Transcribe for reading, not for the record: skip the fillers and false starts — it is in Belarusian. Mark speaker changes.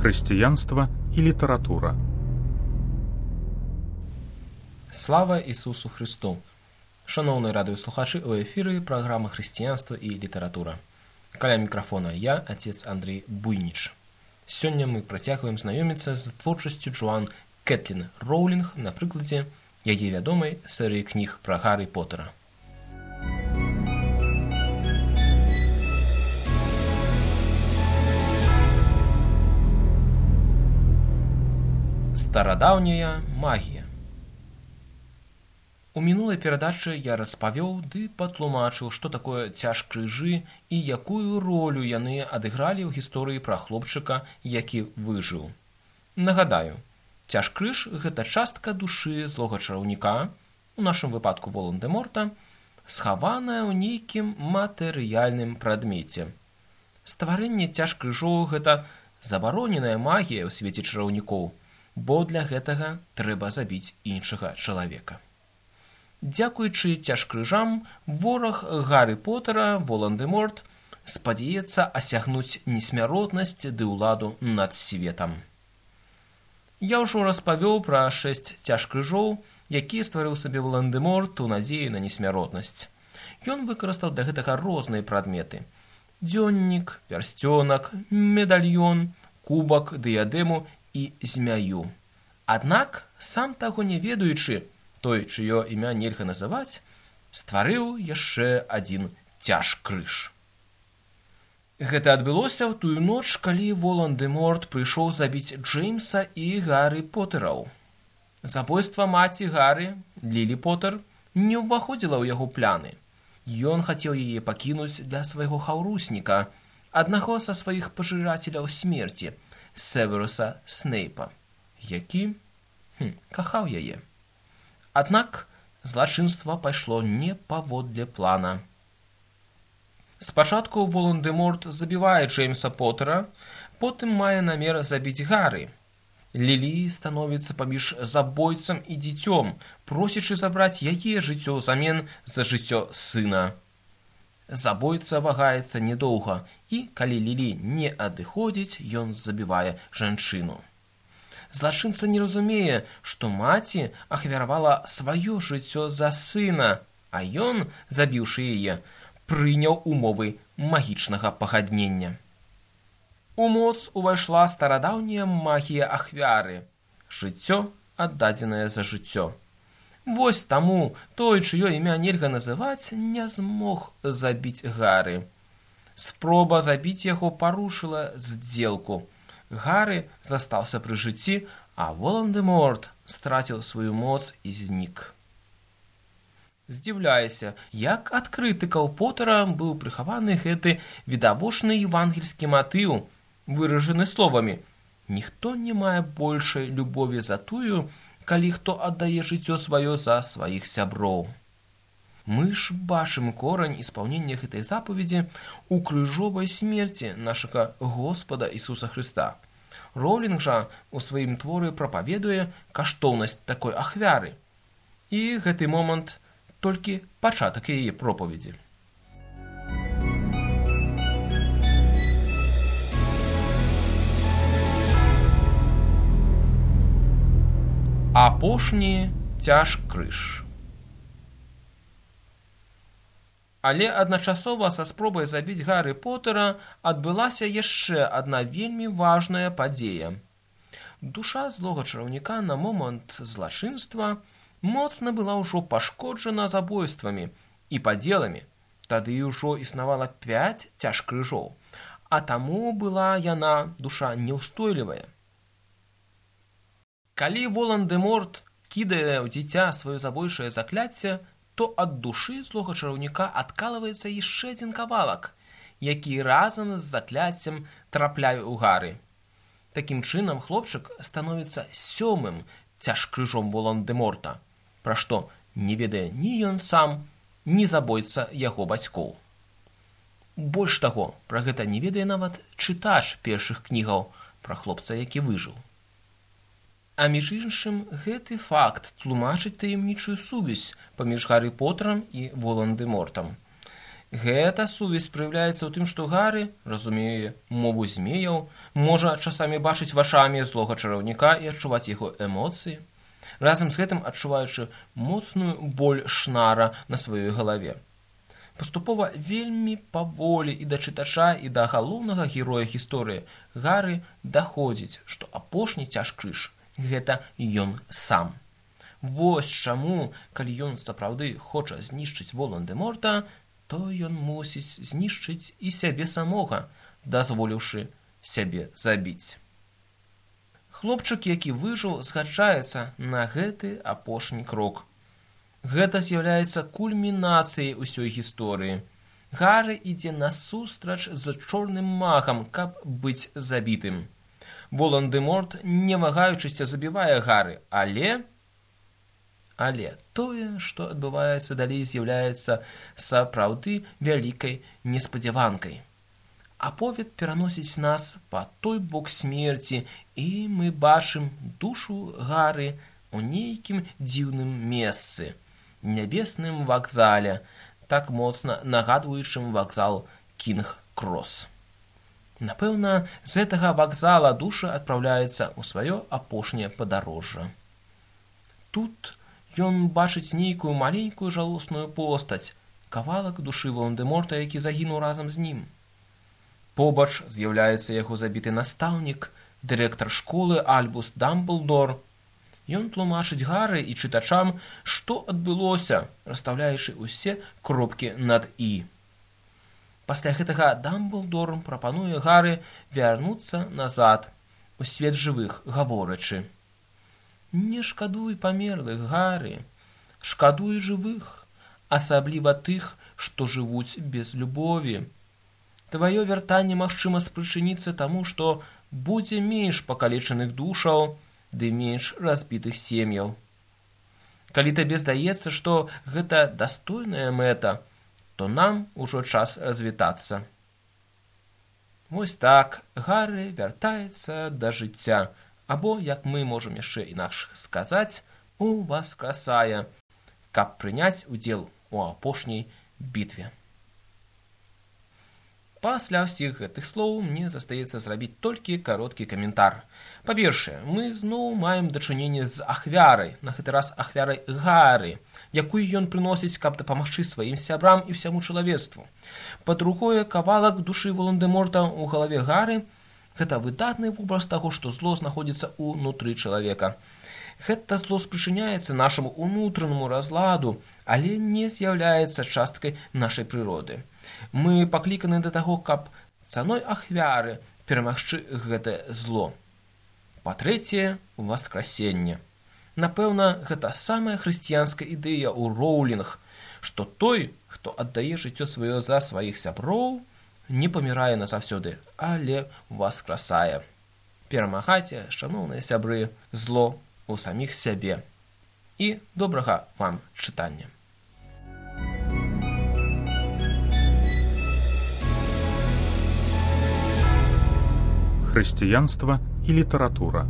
Speaker 1: Хрысціянства і літаратура.
Speaker 2: Слава Ісусу Христу! Шановні радыёслухачы, у эфіры праграма «Хрысціянства і літаратура». Каля мікрафона я, отец Андрей Буйніч. Сёння мы працягваем знаёміцца з творчасцю Джоан Кэтлін Роўлінг на прыкладзе яе вядомай серыі кніг пра Гаррі Поттера. Старадаўняя магія. У мінулай перадачы я распавёў ды патлумачыў, што такое цяж-крыжы і якую ролю яны адыгралі ў гісторыі пра хлопчыка, які выжыў. Нагадаю, цяж-крыж – гэта частка душы злога чараўніка, у нашым выпадку Волан-дэ-Морта, схаваная ў нейкім матэрыяльным прадмеце. Стварэнне цяж-крыжоў – гэта забароненая магія ў свеце чараўнікоў, бо для гэтага трэба забіць іншага чалавека. Дзякуючы цяж-крыжам, вораг Гаррі Поттера, Волан-дэ-Морт, спадзяецца асягнуць несмяротнасць ды ўладу над светам. Я ўжо распавёў пра 6 цяж-крыжоў, якія стварыў сабе Волан-дэ-Морт у надзеі на несмяротнасць. Ён выкарыстаў для гэтага розныя прадметы: дзённік, пярсцёнак, медальён, кубак, дыядэму і змяю. Аднак, сам таго не ведаючы, той, чыё імя нельга называць, стварыў яшчэ адзін цяж-крыж. Гэта адбылося ў тую ноч, калі Волан-дэ-Морт прыйшоў забіць Джеймса і Гаррі Поттэраў. Забойства маці Гаррі, Лілі Поттэр, не ўваходзіла ў яго пляны. Ён хацеў яе пакінуць для свайго хаўрусніка, аднаго са сваіх пажырацеляў смерці, Северуса Снейпа, які кахаў яе. Аднак злачынства пайшло не паводле плана. Спачатку Волан-дэ-Морт забівае Джеймса Поттера, потым мае намер забіць Гаррі. Лілі становіцца паміж забойцам і дзіцём, просячы забраць яе жыццё ўзамен за жыццё сына. Забойца вагаецца недоўга, і калі Лілі не адыходзіць, ён забівае жанчыну. Злачынца не разумее, што маці ахвяравала сваё жыццё за сына, а ён, забіўшы яе, прыняў умовы магічнага пагаднення. У моц увайшла старадаўняя магія ахвяры – жыццё, аддадзенае за жыццё. Вось таму той, чыё імя нельга называць, не змог забіць Гаррі. Спроба забіць яго парушыла здзелку. Гаррі застаўся пры жыцці, а Волан-дэ-Морт страціў сваю моц і знік. Здзіўляюся, як ад крытыкаў Поттера быў прыхаваны гэты відавочны евангельскі матыў, выражаны словамі: «Ніхто не мае большай любові за тую, калі хто аддае жыццё сваё за сваіх сяброў». Мы ж бачым корань испаўнення гэтай запаведзі ў крыжовай смерці нашага Господа Ісуса Хрыста. Роўлінг жа у сваім творы прапаведуе каштоўнасць такой ахвяры. І гэты момант толькі пачатак яе пропаведзі. Апошні цяж-крыж. Але адначасова са спробай забіць Гаррі Поттера адбылася яшчэ адна вельмі важная падзея. Душа злога чараўніка на момант злачынства моцна была ўжо пашкоджана забойствамі і падзеламі. Тады ўжо існавала 5 цяж-крыжоў, а таму была яна, душа, неўстойлівая. Калі Волан-дэ-Морт кідае ў дзіця сваё забойчае закляцце, то ад душы злога чараўніка адкалваецца яшчэ адзін кавалак, які разам з закляццем трапляе ў Гаррі. Такім чынам хлопчык становіцца 7-м цяж-крыжом Волан-дэ-Морта, пра што не ведае ні ён сам, ні забойца яго бацькоў. Больш таго, пра гэта не ведае нават чытач першых кнігаў пра хлопца, які выжыў. А між іншым, гэты факт тлумачыць таямнічую сувязь паміж Гаррі Поттерам і Волан-дэ-Мортам. Гэта сувязь праяўляецца ў тым, што Гары разумее мову змеяў, можа часамі бачыць вачамі злога чараўніка і адчуваць яго эмоцыі, разам з гэтым адчуваючы моцную боль шнара на сваёй галаве. Паступова вельмі паволі і да чытача, і да галоўнага героя гісторыі Гары даходзіць, што апошні цяжкрыж – гэта ён сам. Вось чаму, калі ён сапраўды хоча знішчыць Волан-дэ-Морта, то ён мусіць знішчыць і сябе самога, дазволіўшы сябе забіць. Хлопчык, які выжыў, згаджаецца на гэты апошні крок. Гэта з'яўляецца кульмінацыяй усёй гісторыі. Гары ідзе насустрач з чорным магам, каб быць забітым. Волан-дэ-Морт, не вагаючыся, забівае Гары, але тое, што адбываецца далей, з'яўляецца сапраўды вялікай неспадзяванкай. Аповед пераносіць нас па той бок смерці, і мы бачым душу Гары ў нейкім дзіўным месцы, нябесным вакзале, так моцна нагадваючым вакзал Кінг-Крос. Напэўна, з гэтага вакзала душа адпраўляецца ў сваё апошняе падарожжа. Тут ён бачыць нейкую маленькую жалосную постаць, кавалак душы Волан-дэ-Морта, які загінуў разам з ім. Побач з'яўляецца яго забіты настаўнік, дырэктар школы Альбус Дамблдор. Ён тлумачыць Гары і чытачам, што адбылося, расстаўляючы ўсе кропкі над «і». Пасля гэтага Дамблдор прапануе Гары вярнуцца назад у свет жывых, гаворачы: «Не шкадуй памерлых, Гары, шкадуй жывых, асабліва тых, што жывуць без любові. Тваё вяртанне магчыма спрычыніцца таму, што будзе менш пакалечаных душаў ды менш разбітых сем'яў. Калі табе здаецца, што гэта дастойная мэта, то нам ужо час развітацца». Вось так Гары вяртаецца да жыцця, або, як мы можам яшчэ інакш сказаць, уваскрасае, каб прыняць удзел у апошняй бітве. Пасля ўсіх гэтых слоў мне застаецца зрабіць толькі кароткі каментар. Па-першае, мы зноў маем дачыненне з ахвярай, на гэты раз ахвярай Гары, якую ён прыносіць, каб дапамагчы сваім сябрам і ўсяму чалавецтву. Па-другое, кавалак душы Волан-дэ-Морта ў галаве Гары – гэта выдатны вобраз таго, што зло знаходзіцца ўнутры чалавека. Гэта зло спрычыняецца нашаму ўнутранаму разладу, але не з'яўляецца часткай нашай прыроды. Мы пакліканы да таго, каб цаной ахвяры перамагчы гэтае зло. Па-трэцяе, васкрасенне. Напэўна, гэта самая хрысціянская ідэя ў Роўлінг, што той, хто аддае жыццё сваё за сваіх сяброў, не памірае назаўсёды, але васкрасае. Перамагайце, шаноўныя сябры, зло ў саміх сябе. І добрага вам чытання.
Speaker 1: Хрысціянства і літаратура.